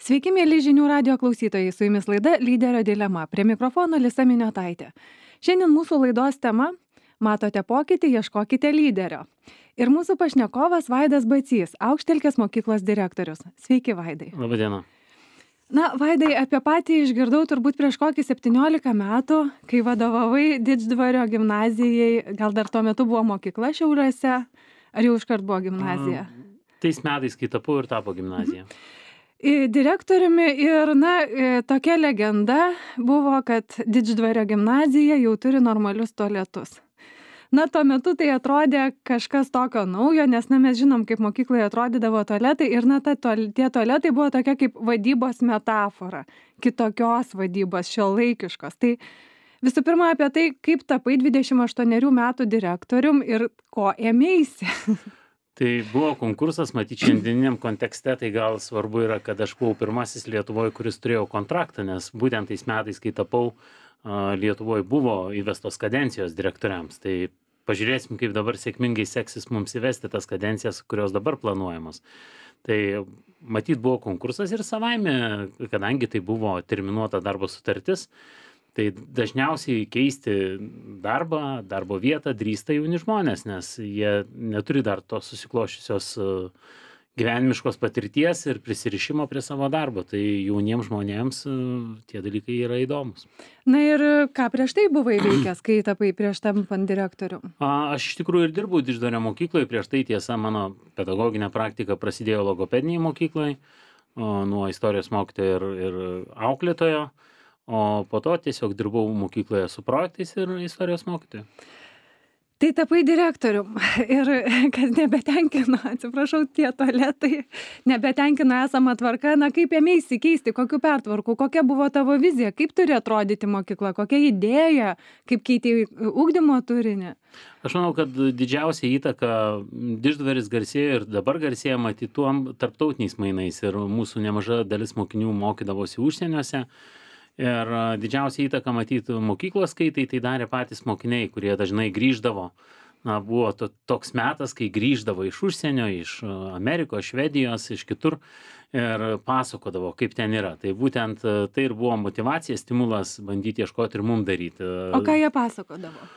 Sveiki, mėly žinių radio klausytojai, su jumis laida Lyderio dilema. Prie mikrofono Lisa Miniotaitė. Šiandien mūsų laidos tema - matote pokytį, ieškokite lyderio. Ir mūsų pašnekovas Vaidas Bacys, Aukštelkės mokyklos direktorius. Sveiki, Vaidai. Labadiena. Na, Vaidai, apie patį išgirdau turbūt prieš kokį 17 metų, kai vadovavai Didždvario gimnazijai, gal dar tuo metu buvo mokykla Šiauliuose, ar jau iškart buvo gimnazija? Tais metais, kai tapau ir tapo gimnazija. Direktoriumi ir, tokia legenda buvo, kad Didždvario gimnazija jau turi normalius tualetus. Na, tuo metu tai atrodė kažkas tokio naujo, nes, mes žinom, kaip mokykloje atrodydavo tualetai ir, tie tualetai buvo tokia kaip vadybos metafora, kitokios vadybos, šiuolaikiškos. Tai visų pirma apie tai, kaip tapai 28 metų direktorium ir ko ėmeisi. Tai buvo konkursas, matyt, šiandieniniam kontekste, tai gal svarbu yra, kad aš buvau pirmasis Lietuvoje, kuris turėjo kontraktą, nes būtent tais metais, kai tapau, Lietuvoje buvo įvestos kadencijos direktoriams. Tai pažiūrėsim, kaip dabar sėkmingai seksis mums įvesti tas kadencijas, kurios dabar planuojamos. Tai matyt, buvo konkursas ir savaime, kadangi tai buvo terminuota darbo sutartis, tai dažniausiai keisti darbo vietą drįsta jauni žmonės, nes jie neturi dar tos susikloščiusios gyvenimiškos patirties ir prisirišimo prie savo darbo. Tai jauniems žmonėms tie dalykai yra įdomus. Na ir ką prieš tai buvai veikęs, kai tapai prieš tampant direktorium? Aš iš tikrųjų ir dirbau Didždvario mokykloje, prieš tai tiesa mano pedagoginė praktika prasidėjo logopedinėje mokykloje, nuo istorijos mokytojo ir auklėtojo. O po to tiesiog dirbau mokykloje su projektais ir istorijos mokytoju. Tai tapai direktorium ir kad nebetenkino, atsiprašau, tie tualetai, nebetenkino esama tvarka, kaip ėmeisi keisti, kokiu pertvarku, kokia buvo tavo vizija, kaip turi atrodyti mokykla, kokia idėja, kaip keitė ugdymo turinį? Aš manau, kad didžiausia įtaka Didždvaris garsėjo ir dabar garsėja matyt tuom tarptautiniais mainais ir mūsų nemaža dalis mokinių mokydavosi užsieniuose. Ir didžiausia įtaka matyti mokyklos skaitai tai darė patys mokiniai, kurie dažnai grįždavo. Buvo toks metas, kai grįždavo iš užsienio, iš Amerikos, Švedijos, iš kitur ir pasakodavo, kaip ten yra. Tai būtent tai ir buvo motyvacija, stimulas bandyti ieškoti ir mum daryti. O ką jie pasakodavo?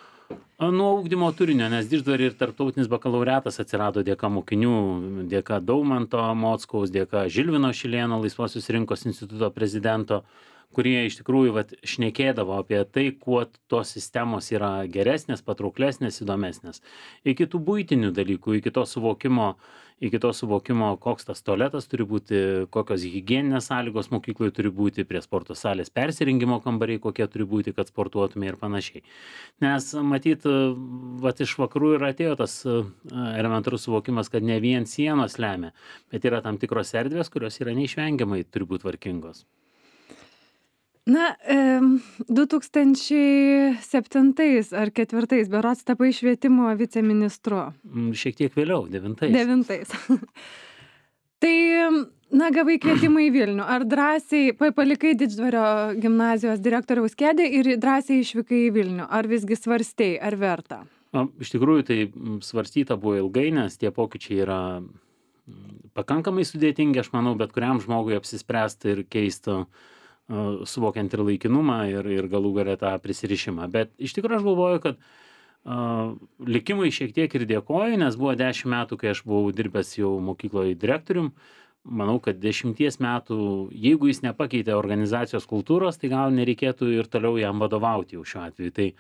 Nuo ugdymo turinio, nes Didždvaryje ir tarptautinis bakalaureatas atsirado dėka mokinių, dėka Daumanto Mockaus, dėka Žilvino Šilėno Laisvosios rinkos instituto prezidento, kurie iš tikrųjų šnekėdavo apie tai, kuo tos sistemos yra geresnės, patrauklesnės, įdomesnės. Iki tų buitinių dalykų, iki to suvokimo, koks tas tualetas turi būti, kokios higieninės sąlygos mokykloje turi būti, prie sporto salės persirengimo kambariai, kokie turi būti, kad sportuotume ir panašiai. Nes matyt, iš vakarų ir atėjo tas elementarus suvokimas, kad ne vien sienos lemia, bet yra tam tikros erdvės, kurios yra neišvengiamai turi būti tvarkingos. 2007 ar 2004 berods tapai švietimo viceministru. Šiek tiek vėliau, 2009. 2009. Tai, gavai kvietimą į Vilnių. Ar drąsiai palikai Didždvario gimnazijos direktoriaus kėdę ir drąsiai išvykai į Vilnių? Ar visgi svarstei, ar verta? Iš tikrųjų, tai svarstyta buvo ilgai, nes tie pokyčiai yra pakankamai sudėtingi, aš manau, bet kuriam žmogui apsispręsti ir keisti, suvokiant ir laikinumą ir galų gale tą prisirišimą. Bet iš tikrųjų aš galvoju, kad likimui šiek tiek ir dėkoju, nes buvo 10 metų, kai aš buvau dirbęs jau mokykloje direktorium. Manau, kad 10 metų, jeigu jis nepakeitė organizacijos kultūros, tai gal nereikėtų ir toliau jam vadovauti jau šiuo atveju. Tai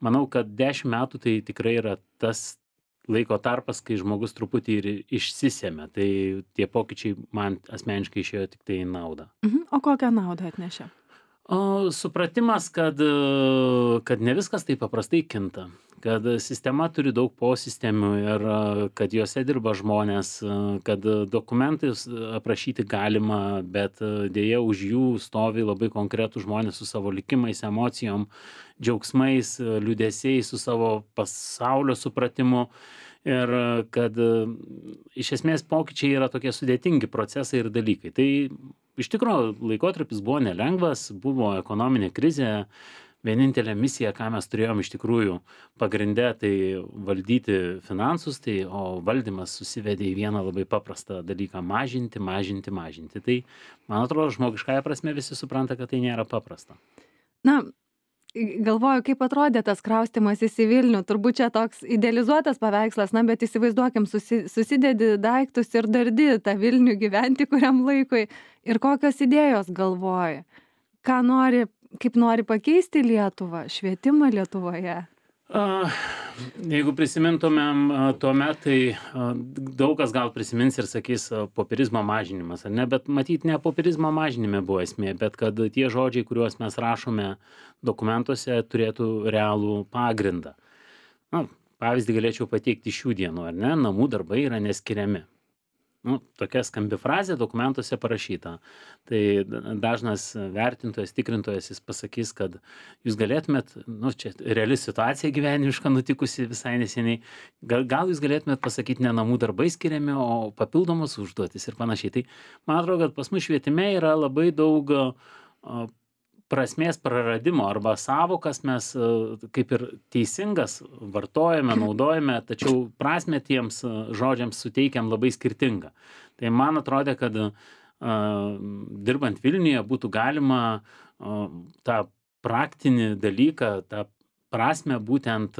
manau, kad 10 metų tai tikrai yra tas laiko tarpas, kai žmogus truputį ir išsisėmė. Tai tie pokyčiai man asmeniškai išėjo tik tai naudą. O kokią naudą atnešė? Supratimas, kad ne viskas taip paprastai kinta. Kad sistema turi daug posistemių ir kad juose dirba žmonės, kad dokumentais aprašyti galima, bet dėja už jų stovi labai konkretų žmonės su savo likimais, emocijom, džiaugsmais, liūdesiais, su savo pasaulio supratimu. Ir kad iš esmės pokyčiai yra tokie sudėtingi procesai ir dalykai. Tai iš tikrųjų laikotarpis buvo nelengvas, buvo ekonominė krizė, vienintelė misija, ką mes turėjom iš tikrųjų pagrinde, tai valdyti finansus, tai, o valdymas susivedė į vieną labai paprastą dalyką - mažinti, mažinti, mažinti. Tai, man atrodo, žmogiškąja prasme visi supranta, kad tai nėra paprasta. Na, galvoju, kaip atrodė tas kraustymasis į Vilnių. Turbūt čia toks idealizuotas paveikslas, na, bet įsivaizduokim, susidedi daiktus ir dardi tą Vilnių gyventi kuriam laikui. Ir kokios idėjos galvoji? Ką nori, kaip nori pakeisti Lietuvą, švietimą Lietuvoje? Jeigu prisimintumėm tuomet, tai daug kas gal prisimins ir sakys popierizmo mažinimas, ar ne? Bet matyt, ne popierizmo mažinime buvo esmė, bet kad tie žodžiai, kuriuos mes rašome dokumentuose, turėtų realų pagrindą. Na, pavyzdį galėčiau pateikti šių dienų, ar ne? Namų darbai yra neskiriami. Nu, tokia skambi frazė dokumentuose parašyta. Tai dažnas vertintojas, tikrintojas, jis pasakys, kad jūs galėtumėt, nu, čia reali situacija gyvenimiška nutikusi visai neseniai, gal jūs galėtumėt pasakyti ne namų darbai skiriami, o papildomos užduotis ir panašiai. Tai man atrodo, kad pas mus švietime yra labai daug prasmės praradimo arba savokas mes kaip ir teisingas vartojame, naudojame, tačiau prasmę tiems žodžiams suteikiam labai skirtingą. Tai man atrodė, kad dirbant Vilniuje būtų galima tą praktinį dalyką, tą prasmę būtent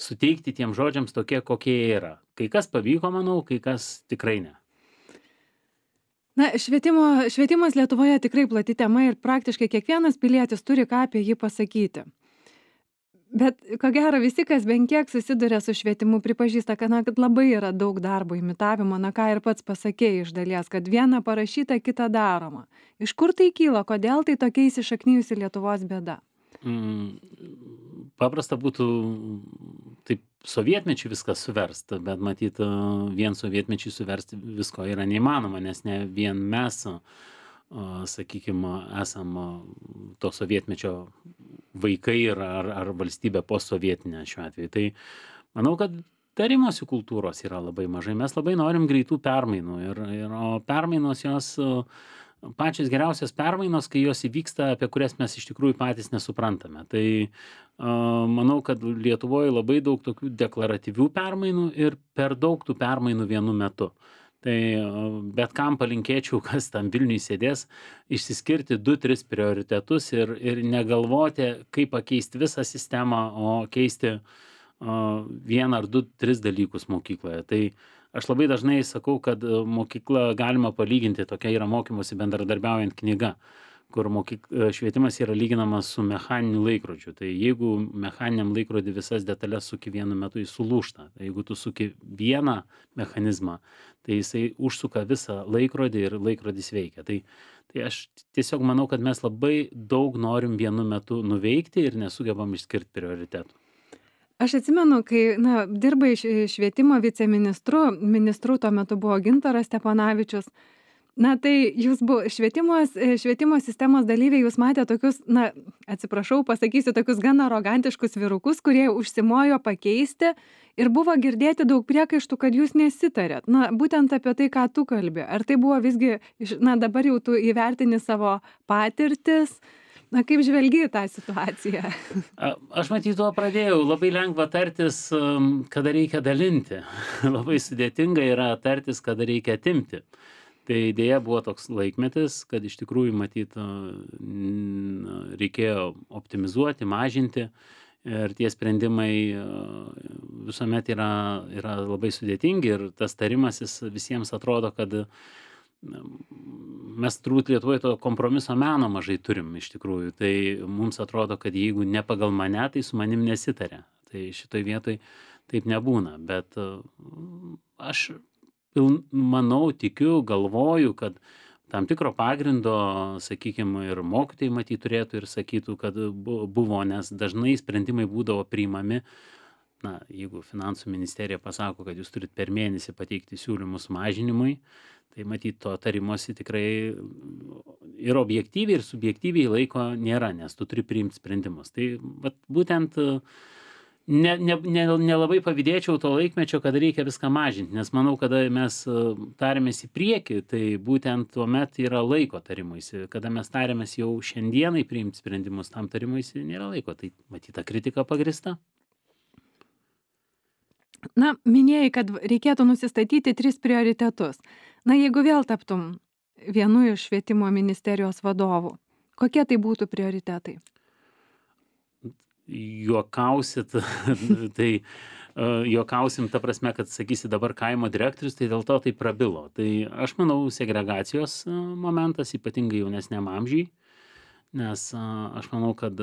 suteikti tiem žodžiams tokie, kokie jie yra. Kai kas pavyko, manau, kai kas tikrai ne. Na, švietimas Lietuvoje tikrai plati tema ir praktiškai kiekvienas pilietis turi ką apie jį pasakyti. Bet ko gero visi, kas bent kiek susiduria su švietimu, pripažįsta, kad labai yra daug darbo imitavimo, ką ir pats pasakėjai iš dalies, kad viena parašyta, kita daroma. Iš kur tai kyla, kodėl tai tokia įsišaknijusi Lietuvos bėda? Paprasta būtų taip sovietmečiu viskas suverst, bet matyt, vien sovietmečiu suversti visko yra neįmanoma, nes ne vien mes, sakykime, esam to sovietmečio vaikai ar valstybė postsovietinė šiuo atveju. Tai manau, kad tarimosi kultūros yra labai mažai. Mes labai norim greitų permainų o permainos jos pačios geriausios permainos, kai jos įvyksta, apie kurias mes iš tikrųjų patys nesuprantame. Tai manau, kad Lietuvoje labai daug tokių deklaratyvių permainų ir per daug tų permainų vienu metu. Tai bet kam palinkėčiau, kas tam Vilniui sėdės, išsiskirti 2-3 prioritetus ir negalvoti, kaip pakeisti visą sistemą, o keisti vieną ar 2-3 dalykus mokykloje. Tai aš labai dažnai sakau, kad mokykla galima palyginti, tokia yra mokymosi bendradarbiaujant knyga, kur švietimas yra lyginamas su mechaniniu laikrodžiu. Tai jeigu mechaniniam laikrodį visas detalės suki vienu metu, jis sulūžta. Tai jeigu tu suki vieną mechanizmą, tai jisai užsuka visą laikrodį ir laikrodis veikia. Tai aš tiesiog manau, kad mes labai daug norim vienu metu nuveikti ir nesugebam išskirti prioritetų. Aš atsimenu, kai dirbai švietimo viceministru, ministru tuo metu buvo Gintaras Stepanavičius. Tai jūs švietimo sistemos dalyviai, jūs matė tokius, atsiprašau, pasakysiu, tokius gan arogantiškus vyrukus, kurie užsimojo pakeisti ir buvo girdėti daug priekaištų, kad jūs nesitarėt. Būtent apie tai, ką tu kalbi. Ar tai buvo visgi, dabar jau tu įvertini savo patirtis, kaip žvelgi tą situaciją? Aš matyt, tuo pradėjau. Labai lengva tartis, kada reikia dalinti. Labai sudėtinga yra tartis, kada reikia atimti. Tai dėja buvo toks laikmetis, kad iš tikrųjų matyt reikėjo optimizuoti, mažinti ir tie sprendimai visuomet yra labai sudėtingi ir tas tarimasis visiems atrodo, kad mes turbūt Lietuvoje to kompromiso meno mažai turim iš tikrųjų. Tai mums atrodo, kad jeigu ne pagal mane, tai su manim nesitarė. Tai šitoj vietoj taip nebūna, bet aš manau, tikiu, galvoju, kad tam tikro pagrindo, sakykime, ir mokytojai matyt turėtų ir sakytų, kad buvo, nes dažnai sprendimai būdavo priimami. Jeigu finansų ministerija pasako, kad jūs turit per mėnesį pateikti siūlymus mažinimui, tai matyt to tarimosi tikrai ir objektyviai, ir subjektyviai laiko nėra, nes tu turi priimti sprendimus. Tai būtent nelabai pavydėčiau to laikmečio, kada reikia viską mažinti, nes manau, kada mes tariamės į priekį, tai būtent tuomet yra laiko tarimuisi. Kada mes tariamės jau šiandienai priimti sprendimus, tam tarimuisi nėra laiko. Tai matyta kritika pagrįsta. Na, minėjai, kad reikėtų nusistatyti 3 prioritetus. Na, jeigu vėl taptum vienu iš švietimo ministerijos vadovų, kokie tai būtų prioritetai? Juokausit, tai juokausim ta prasme, kad sakysi dabar kaimo direktorius, tai dėl to tai prabilo. Tai aš manau segregacijos momentas, ypatingai jaunesniam amžiui, nes aš manau, kad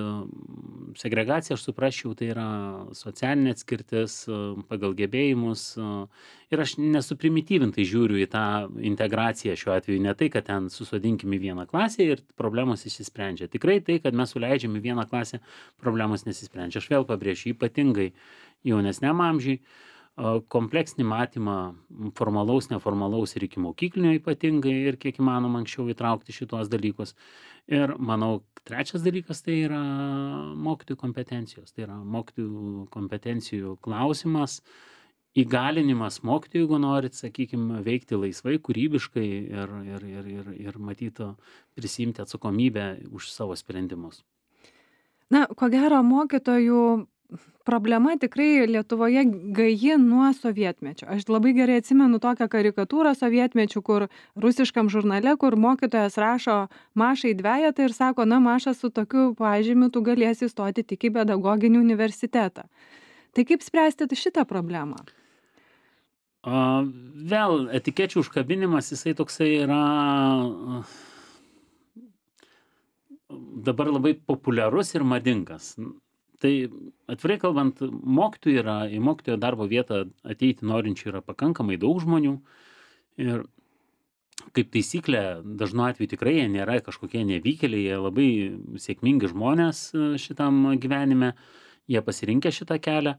segregacija, aš suprasčiau, tai yra socialinė atskirtis pagal gebėjimus ir aš nesuprimityvintai žiūriu į tą integraciją šiuo atveju, ne tai, kad ten susodinkim į vieną klasę ir problemos išsisprendžia. Tikrai tai, kad mes suleidžiam į vieną klasę, problemos nesisprendžia. Aš vėl pabrėšiu, ypatingai jaunesniam amžiui, kompleksinį matymą formalaus, neformalaus ir iki mokyklinio ypatingai ir kiek įmanoma anksčiau įtraukti šitos dalykus. Ir manau, trečias dalykas tai yra mokytojų kompetencijos. Tai yra mokytojų kompetencijų klausimas, įgalinimas mokytojų, jeigu norit, sakykime, veikti laisvai, kūrybiškai ir matytų prisimti atsakomybę už savo sprendimus. Na, ko gero, mokytojų problema tikrai Lietuvoje gaji nuo sovietmečio. Aš labai gerai atsimenu tokią karikatūrą sovietmečių, kur rusiškam žurnale, kur mokytojas rašo Mašai dvejetą ir sako, na, Maša, su tokiu pažymiu tu galėsi įstoti tik į pedagoginį universitetą. Tai kaip spręsti šitą problemą? Vėl etikečių užkabinimas, jisai toksai yra dabar labai populiarus ir madingas. Tai atvirai kalbant, mokytojų yra, į mokytojo darbo vietą ateiti norinčių yra pakankamai daug žmonių ir kaip taisyklė, dažnu atveju tikrai jie nėra kažkokie nevykėliai, jie labai sėkmingi žmonės šitam gyvenime, jie pasirinkę šitą kelią.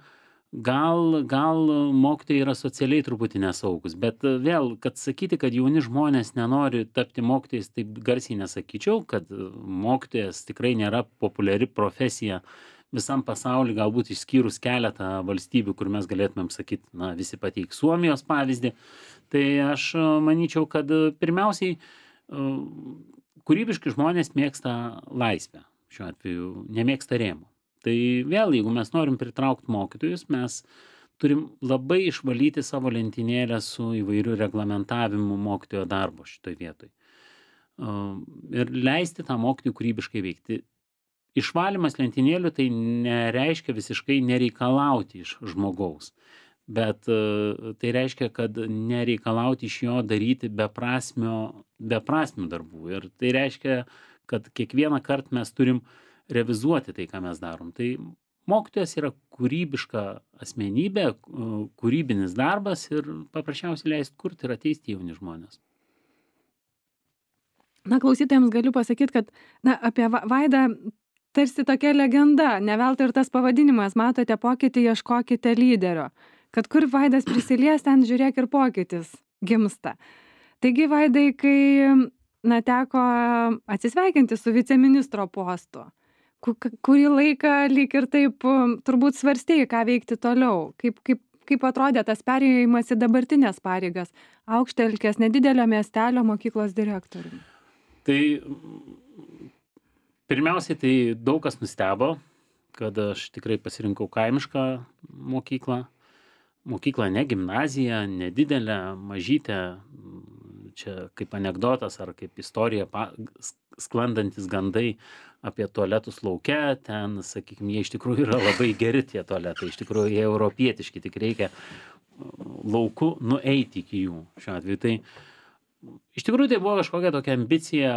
Gal mokytojai yra socialiai truputį nesaugus, bet vėl, kad sakyti, kad jauni žmonės nenori tapti mokytojais, taip garsiai nesakyčiau, kad mokytojas tikrai nėra populiari profesija visam pasauly, galbūt išskyrus keletą valstybių, kur mes galėtumėm sakyti, na, visi pateik Suomijos pavyzdį. Tai aš manyčiau, kad pirmiausiai kūrybiški žmonės mėgsta laisvę, šiuo atveju nemėgsta rėmų. Tai vėl, jeigu mes norim pritraukti mokytojus, mes turim labai išvalyti savo lentynėlę su įvairiu reglamentavimu mokytojo darbo šitoj vietoj. Ir leisti tą mokytojų kūrybiškai veikti. Išvalymas lentynėlių tai nereiškia visiškai nereikalauti iš žmogaus, bet tai reiškia, kad nereikalauti iš jo daryti beprasmių darbų. Ir tai reiškia, kad kiekvieną kartą mes turim revizuoti tai, ką mes darom. Tai mokytojas yra kūrybiška asmenybė, kūrybinis darbas ir paprasčiausiai leisti kurti ir ateisti jauni žmonės. Na, klausytojams galiu pasakyti, kad apie Vaidą tarsi tokia legenda, ne veltui ir tas pavadinimas, matote pokytį, ieškokite lyderio. Kad kur Vaidas prisilies, ten žiūrėk ir pokytis gimsta. Taigi, Vaidai, kai teko atsisveikinti su viceministro postu, kurį laiką lyg ir taip turbūt svarstėjai, ką veikti toliau, kaip atrodė tas perėjimas į dabartinės pareigas, Aukštelkės nedidelio miestelio mokyklos direktoriumi. Tai pirmiausiai, tai daug kas nustebo, kad aš tikrai pasirinkau kaimišką mokyklą. Mokykla ne gimnazija, nedidelė, mažytė, čia kaip anekdotas ar kaip istorija sklandantis gandai apie tualetus lauke, ten, sakykime, jie iš tikrųjų yra labai geri tie tualetai, iš tikrųjų jie europietiški, tik reikia lauku nueiti iki jų šiuo atveju. Tai iš tikrųjų tai buvo kažkokia tokia ambicija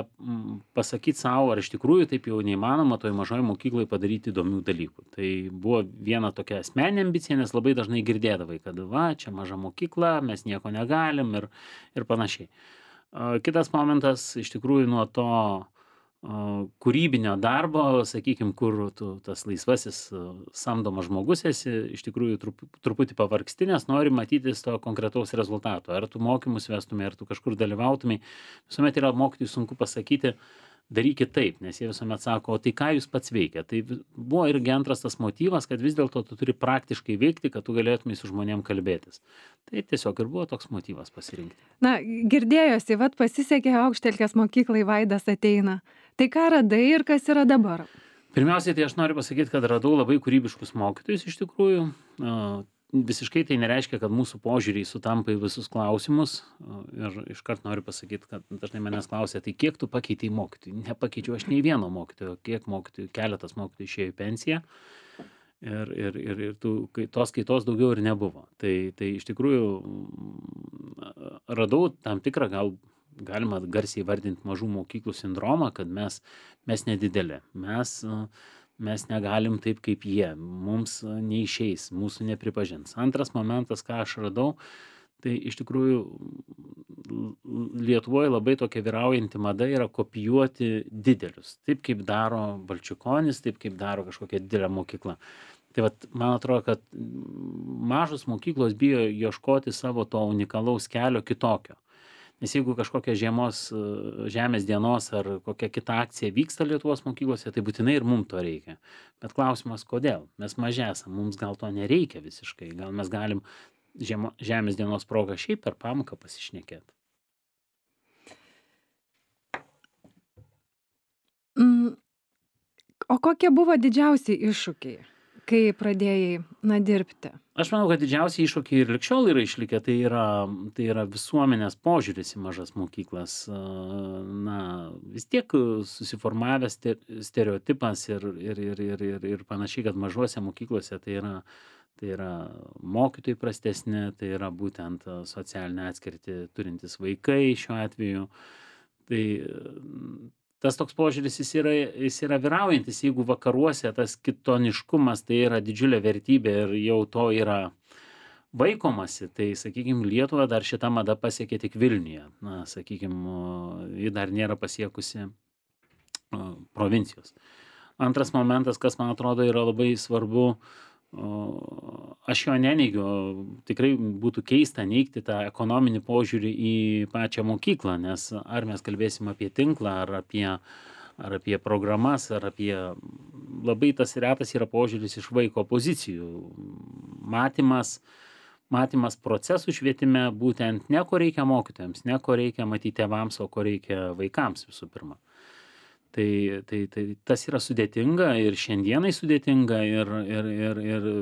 pasakyti savo, ar iš tikrųjų taip jau neįmanoma toj mažoj mokyklai padaryti įdomių dalykų. Tai buvo viena tokia asmeninė ambicija, nes labai dažnai girdėdavai, kad va, čia maža mokykla, mes nieko negalim ir panašiai. Kitas momentas, iš tikrųjų nuo to kūrybinio darbo, sakykime, kur tu tas laisvasis samdomas žmogus esi, iš tikrųjų truputį pavargsti, nes nori matytis to konkretaus rezultato. Ar tu mokymus vestumai, ar tu kažkur dalyvautumai. Visuomet yra mokytojui sunku pasakyti, darykit taip, nes jie visuomet sako, o tai ką jūs pats veikia. Tai buvo irgi antras tas motyvas, kad vis dėlto tu turi praktiškai veikti, kad tu galėtumai su žmonėm kalbėtis. Tai tiesiog ir buvo toks motyvas pasirinkti. Na, girdėjosi, vat pasisekė Aukštelkės mokyklai, Vaidas ateina. Tai ką radai ir kas yra dabar? Pirmiausiai, tai aš noriu pasakyti, kad radau labai kūrybiškus mokytojus iš tikrųjų. Visiškai tai nereiškia, kad mūsų požiūriai sutampa į visus klausimus. Ir iškart noriu pasakyti, kad dažnai manęs klausia, tai kiek tu pakeitei mokytojų? Nepakeičiau aš nei vieno mokytojo, kiek mokytojų, keletas mokytojų išėjo į pensiją. Ir tos kaitos daugiau ir nebuvo. Tai iš tikrųjų radau tam tikrą, gal galima garsiai vardinti mažų mokyklų sindromą, kad mes nedidelė. Mes negalim taip kaip jie, mums neišeis, mūsų nepripažins. Antras momentas, ką aš radau, tai iš tikrųjų Lietuvoje labai tokia vyraujanti mada yra kopijuoti didelius. Taip kaip daro Balčikonis, taip kaip daro kažkokia didelė mokykla. Tai vat, man atrodo, kad mažos mokyklos bijo ieškoti savo to unikalaus kelio kitokio. Nes jeigu kažkokia žemės dienos ar kokia kita akcija vyksta Lietuvos mokyklose, tai būtinai ir mums to reikia. Bet klausimas, kodėl? Mes maži esam, mums gal to nereikia visiškai. Gal mes galim žemės dienos progą šiaip per pamoką pasišnekėti. O kokie buvo didžiausi iššūkiai, kai pradėjai dirbti? Aš manau, kad didžiausiai iššūkiai ir likščiol yra išlikę, tai yra visuomenės požiūris į mažas mokyklas. Vis tiek susiformavęs stereotipas ir panašiai, kad mažuose mokyklose tai yra mokytojai prastesni, tai yra būtent socialinę atskirtį turintys vaikai šiuo atveju. Tai tas toks požiūris jis yra vyraujantis, jeigu vakaruose tas kitoniškumas tai yra didžiulė vertybė ir jau to yra vaikomasi, tai, sakykime, Lietuva dar šitą madą pasiekė tik Vilniuje. Ji dar nėra pasiekusi provincijos. Antras momentas, kas man atrodo yra labai svarbu, aš jo neneigiu, tikrai būtų keista neigti tą ekonominį požiūrį į pačią mokyklą, nes ar mes kalbėsim apie tinklą, ar apie programas, ar apie labai tas retas yra požiūris iš vaiko pozicijų. Matymas procesų švietime būtent ne ko reikia mokytojams, ne ko reikia matyti tėvams, o ko reikia vaikams visų pirma. Tai tas yra sudėtinga ir šiandienai sudėtinga ir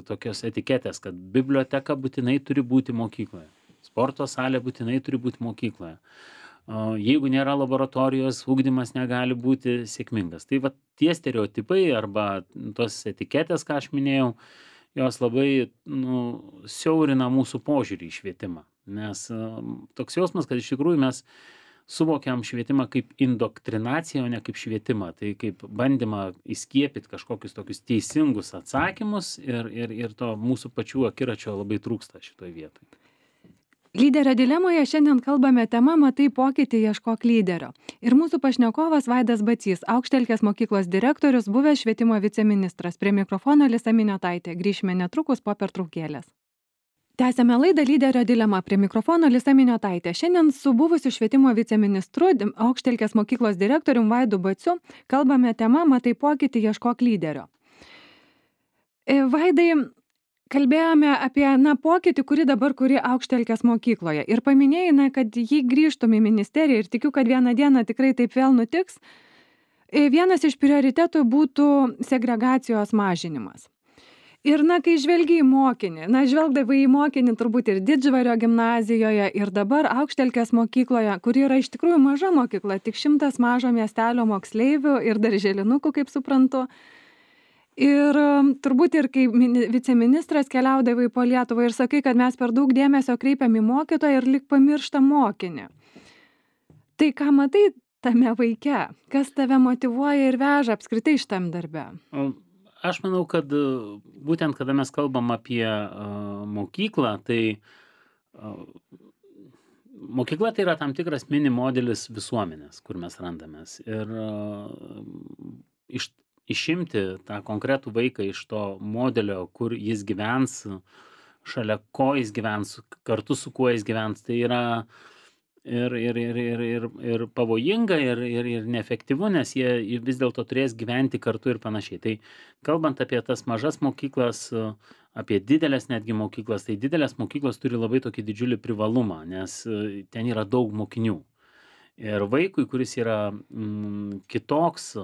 tokios etiketės, kad biblioteka būtinai turi būti mokykloje, sporto salė būtinai turi būti mokykloje. Jeigu nėra laboratorijos, ugdymas negali būti sėkmingas. Tai tie stereotipai arba tos etiketės, ką aš minėjau, jos labai siaurina mūsų požiūrį į švietimą. Nes toks jausmas, kad iš tikrųjų mes suvokiam švietimą kaip indoktrinaciją, o ne kaip švietimą. Tai kaip bandymą įskiepyti kažkokius tokius teisingus atsakymus ir to mūsų pačių akiračio labai trūksta šitoj vietoj. Lyderio dilemoje šiandien kalbame tema Matai pokytį, ieškok lyderio. Ir mūsų pašnekovas Vaidas Bacys, Aukštelkės mokyklos direktorius, buvęs švietimo viceministras. Prie mikrofono Lisa Miniotaitė. Grįšime netrukus po pertraukėlės. Tęsiame laidą Lyderio dilema. Prie mikrofono Lisa Miniotaitė. Šiandien su buvusiu švietimo viceministru, Aukštelkės mokyklos direktorium Vaidu Baciu kalbame tema Matai pokytį, ieškok lyderio. Vaidai, kalbėjome apie pokytį, kurį dabar kuri Aukštelkės mokykloje. Ir paminėjai, kad jį grįžtum į ministeriją ir tikiu, kad vieną dieną tikrai taip vėl nutiks. Vienas iš prioritetų būtų segregacijos mažinimas. Ir kai žvelgi į mokinį, žvelgdavai į mokinį turbūt ir Didždvario gimnazijoje, ir dabar Aukštelkės mokykloje, kuri yra iš tikrųjų maža mokykla, tik 100 mažo miestelio moksleivių ir darželinukų, kaip suprantu. Ir turbūt ir kai viceministras keliaudavai po Lietuvą ir sakai, kad mes per daug dėmesio kreipiam į mokytoją ir lyg pamirštam mokinį. Tai ką matai tame vaike? Kas tave motyvuoja ir veža apskritai šitam darbe? Aš manau, kad būtent kada mes kalbam apie mokyklą, tai mokykla tai yra tam tikras mini modelis visuomenės, kur mes randamės. Ir išimti tą konkretų vaiką iš to modelio, kur jis gyvens, šalia ko jis gyvens, kartu su kuo jis gyvens, tai yra ir pavojinga, ir neefektyvu, nes jie vis dėlto turės gyventi kartu ir panašiai. Tai kalbant apie tas mažas mokyklas, apie didelės netgi mokyklas, tai didelės mokyklos turi labai tokį didžiulį privalumą, nes ten yra daug mokinių. Ir vaikui, kuris yra kitoks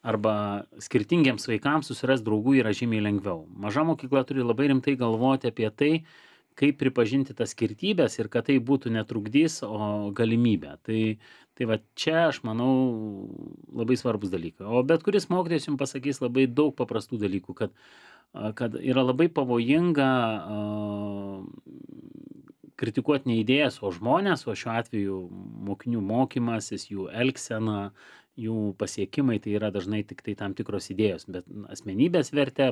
arba skirtingiems vaikams susirast draugų yra žymiai lengviau. Maža mokykla turi labai rimtai galvoti apie tai, kaip pripažinti tas skirtybės ir kad tai būtų netrukdys, o galimybė. Tai va čia, aš manau, labai svarbus dalykai. O bet kuris mokytojas jums pasakys labai daug paprastų dalykų, kad yra labai pavojinga kritikuoti ne idėjas, o žmonės, o šiuo atveju mokinių mokymasis, jų elgsena, jų pasiekimai, tai yra dažnai tik tai tam tikros idėjos, bet asmenybės vertė,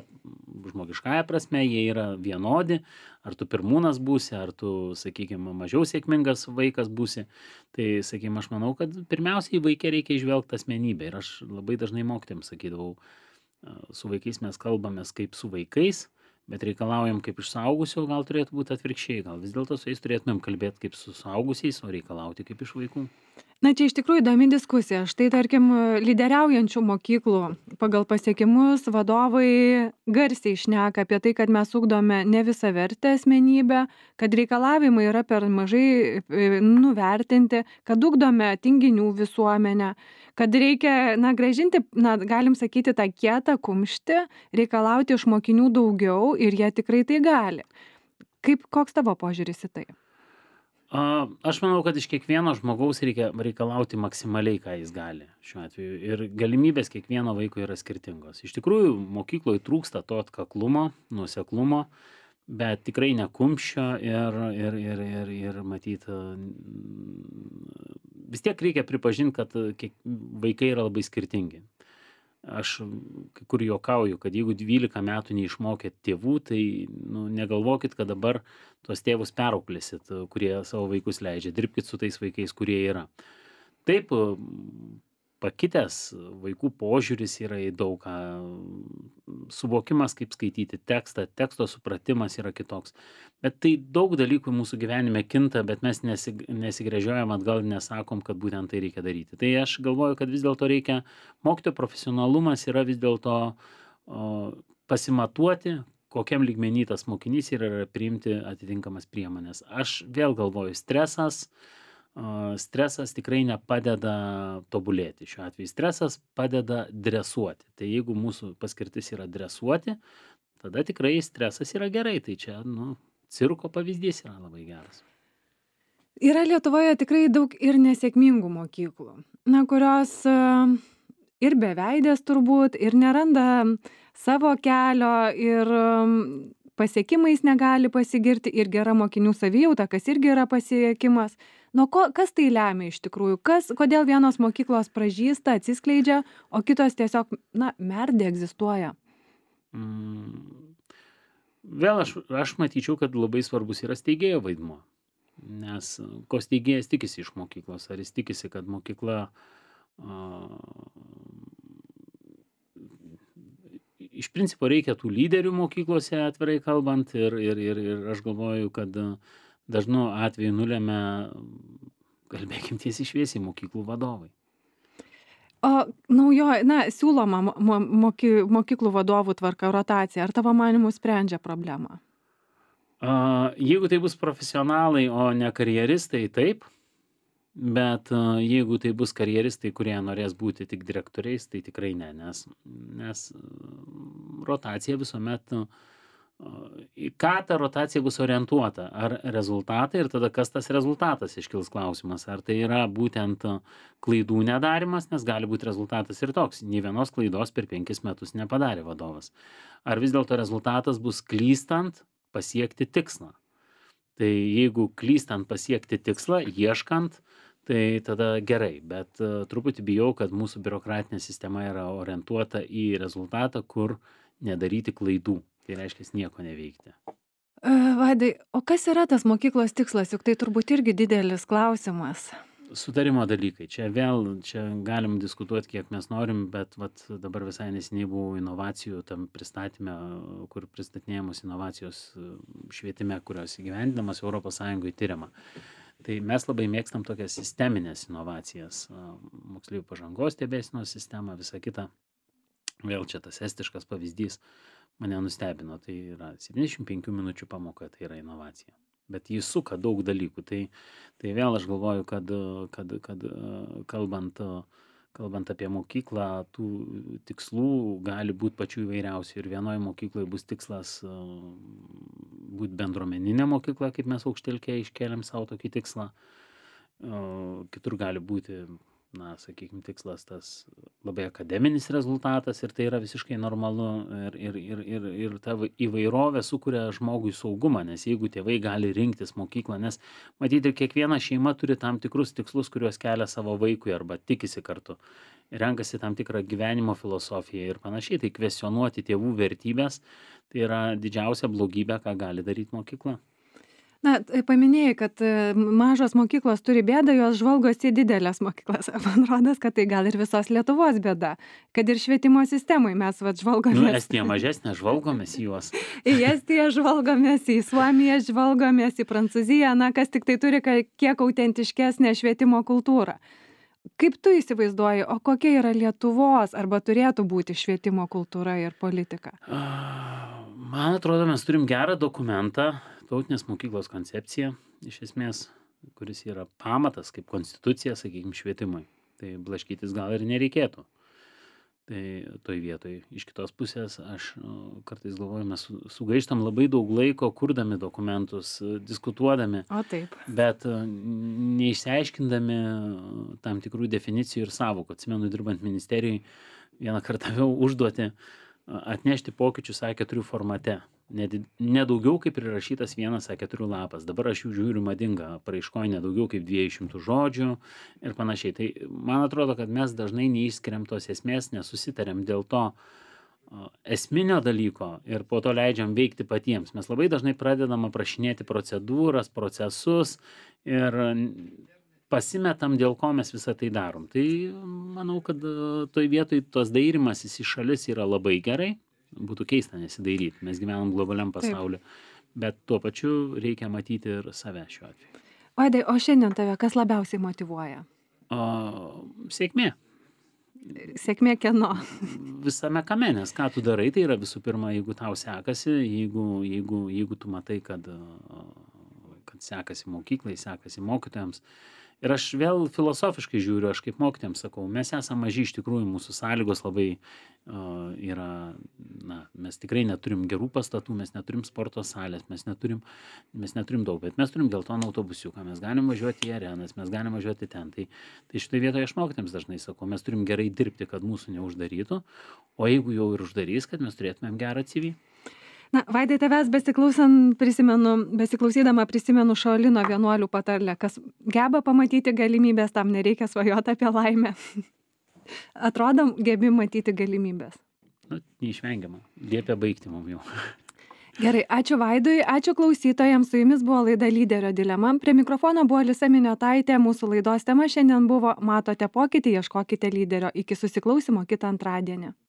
žmogiškąja prasme, jie yra vienodi, ar tu pirmūnas būsi, ar tu, sakykime, mažiau sėkmingas vaikas būsi. Tai, sakykime, aš manau, kad pirmiausiai vaikė reikia išvelgti asmenybę ir aš labai dažnai mokytėms sakydavau, su vaikais mes kalbamės kaip su vaikais, bet reikalaujam kaip iš suaugusio, gal turėtų būti atvirkščiai, gal vis dėlto su jais turėtumėm kalbėti kaip su suaugusiais, o reikalauti kaip iš vaikų. Na, čia iš tikrųjų įdomi diskusija. Štai, tarkim, lyderiaujančių mokyklų pagal pasiekimus vadovai garsiai šneka apie tai, kad mes ugdome ne visavertę asmenybę, kad reikalavimai yra per mažai nuvertinti, kad ugdome tinginių visuomenę, kad reikia, grąžinti, galim sakyti, tą kietą kumštį, reikalauti iš mokinių daugiau ir jie tikrai tai gali. Koks tavo požiūris į tai? Aš manau, kad iš kiekvieno žmogaus reikia reikalauti maksimaliai, ką jis gali šiuo atveju. Ir galimybės kiekvieno vaiko yra skirtingos. Iš tikrųjų, mokykloje trūksta to atkaklumo, nuoseklumo, bet tikrai ne kumščio ir matyt, vis tiek reikia pripažinti, kad vaikai yra labai skirtingi. Aš kai kur juokauju, kad jeigu 12 metų neišmokėt tėvų, tai negalvokit, kad dabar tuos tėvus perauklėsit, kurie savo vaikus leidžia. Dirbkit su tais vaikais, kurie yra. Taip, pakitęs vaikų požiūris yra į daug ką. Suvokimas, kaip skaityti tekstą, teksto supratimas yra kitoks. Bet tai daug dalykų mūsų gyvenime kinta, bet mes nesigręžiojam atgal ir nesakom, kad būtent tai reikia daryti. Tai aš galvoju, kad vis dėlto reikia, mokytojo profesionalumas yra vis dėlto pasimatuoti, kokiam lygmenį tas mokinys yra priimti atitinkamas priemonės. Aš vėl galvoju, stresas tikrai nepadeda tobulėti. Šiuo atveju stresas padeda dresuoti. Tai jeigu mūsų paskirtis yra dresuoti, tada tikrai stresas yra gerai. Tai čia, cirko pavyzdys yra labai geras. Yra Lietuvoje tikrai daug ir nesėkmingų mokyklų, kurios ir beveidės turbūt, ir neranda savo kelio, ir pasiekimais negali pasigirti, ir gera mokinių savijauta, kas irgi yra pasiekimas. Kas tai lemia iš tikrųjų? Kodėl vienos mokyklos pražysta, atsiskleidžia, o kitos tiesiog, merdė egzistuoja? Vėl aš matyčiau, kad labai svarbus yra steigėjo vaidmuo. Nes ko steigėjas tikisi iš mokyklos? Ar jis tikisi, kad mokykla iš principo reikia tų lyderių mokyklose, atvirai kalbant, ir aš galvoju, kad dažnu atveju nulemia, kalbėkim tiesiai šviesiai, mokyklų vadovai. O siūloma mokyklų vadovų tvarka, rotacija, ar tavo manymu sprendžia problemą? Jeigu tai bus profesionalai, o ne karjeristai, taip. Bet jeigu tai bus karjeristai, kurie norės būti tik direktoriais, tai tikrai ne, nes rotacija visuomet, į ką ta rotacija bus orientuota, ar rezultatai, ir tada kas tas rezultatas, iškils klausimas, ar tai yra būtent klaidų nedarimas, nes gali būti rezultatas ir toks, nei vienos klaidos per 5 metus nepadarė vadovas. Ar vis dėlto rezultatas bus klystant pasiekti tikslą. Tai jeigu klystant pasiekti tikslą, ieškant, tai tada gerai, bet truputį bijau, kad mūsų biurokratinė sistema yra orientuota į rezultatą, kur nedaryti klaidų. Tai reiškia nieko neveikti. Vaidai, o kas yra tas mokyklos tikslas? Juk tai turbūt irgi didelis klausimas. Sutarimo dalykai. Čia galim diskutuoti, kiek mes norim, bet dabar visai neseniai buvau inovacijų tam pristatyme, kur pristatinėjamos inovacijos švietime, kurios įgyvendinamas ES tyriama. Tai mes labai mėgstam tokias sisteminės inovacijas, moksleivių pažangos stebėsenos sistemą, visą kitą. Vėl čia tas estiškas pavyzdys mane nustebino. Tai yra 75 minučių pamoka, tai yra inovacija. Bet jis suka daug dalykų. Tai vėl aš galvoju, kad kalbant apie mokyklą, tų tikslų gali būti pačių įvairiausių. Ir vienoje mokykloje bus tikslas būti bendruomeninė mokykla, kaip mes Aukštelkėje iškėlėm savo tokį tikslą. Kitur gali būti, na, sakykime, tikslas tas labai akademinis rezultatas ir tai yra visiškai normalu ir ta įvairovė sukuria žmogui saugumą, nes jeigu tėvai gali rinktis mokyklą, nes matyti kiekviena šeima turi tam tikrus tikslus, kuriuos kelia savo vaikui arba tikisi kartu, renkasi tam tikrą gyvenimo filosofiją ir panašiai, tai kvestionuoti tėvų vertybės, tai yra didžiausia blogybė, ką gali daryti mokykla. Na, paminėjai, kad mažos mokyklos turi bėdą, jos žvalgosi į didelės mokyklas. Man rodos, kad tai gal ir visos Lietuvos bėda, kad ir švietimo sistemai mes žvalgomės. Estija mažesnė, žvalgomės į juos. Į Estiją žvalgomės, į Suomiją žvalgomės, į Prancūziją, na, kas tik tai turi kiek autentiškesnę švietimo kultūrą. Kaip tu įsivaizduoji, o kokia yra Lietuvos arba turėtų būti švietimo kultūra ir politika? Man atrodo, mes turim gerą dokumentą, Tautinės mokyklos koncepcija, iš esmės, kuris yra pamatas kaip konstitucija, sakykime, švietimui. Tai blaškytis gal ir nereikėtų. Tai toj vietoj. Iš kitos pusės, aš kartais galvoju, mes sugaištam labai daug laiko, kurdami dokumentus, diskutuodami. O taip. Bet neišsiaiškindami tam tikrų definicijų ir sąvokų. Atsimenu, dirbant ministerijai, vieną kartą vėl užduoti atnešti pokyčius A4 formate. Ne daugiau kaip prirašytas vienas A4 lapas. Dabar aš jų žiūriu madinga paraiškoje ne daugiau kaip 200 žodžių ir panašiai. Tai man atrodo, kad mes dažnai neišskiriam tos esmės, nesusitariam dėl to esminio dalyko ir po to leidžiam veikti patiems. Mes labai dažnai pradedam aprašinėti procedūras, procesus ir pasimetam, dėl ko mes visą tai darom. Tai manau, kad toj vietoj tos dairimasis į šalis yra labai gerai. Būtų keista nesidairyti. Mes gyvenam globaliam pasauliu. Bet tuo pačiu reikia matyti ir save šiuo atveju. Vaidai, o šiandien tave kas labiausiai motyvuoja? Sėkmė. Sėkmė kieno? Visame kame, nes ką tu darai, tai yra visų pirma, jeigu tau sekasi, jeigu tu matai, kad sekasi mokyklai, sekasi mokytojams. Ir aš vėl filosofiškai žiūriu, aš kaip mokytojams sakau, mes esame maži iš tikrųjų, mūsų sąlygos labai yra, na, mes tikrai neturim gerų pastatų, mes neturim sporto salės, mes neturim daug, bet mes turim geltoną autobusiuką, mes galim važiuoti į arenas, mes galim važiuoti ten. Tai šitoje vietoje aš mokytojams dažnai sakau, mes turim gerai dirbti, kad mūsų neuždarytų, o jeigu jau ir uždarys, kad mes turėtumėm gerą CV. Na, Vaidai, tavęs besiklausydama prisimenu Šaolino vienuolių patarlę, kas geba pamatyti galimybės, tam nereikia svajoti apie laimę. Atrodom, gebi matyti galimybės. Na, neišvengiama. Liepia baigti mum jau. Gerai, ačiū Vaidui, ačiū klausytojams, su jumis buvo laida Lyderio dilema. Prie mikrofono buvo Lisa Miniotaitė, mūsų laidos tema šiandien buvo Matote pokytį, ieškokite lyderio. Iki susiklausimo kitą antradienį.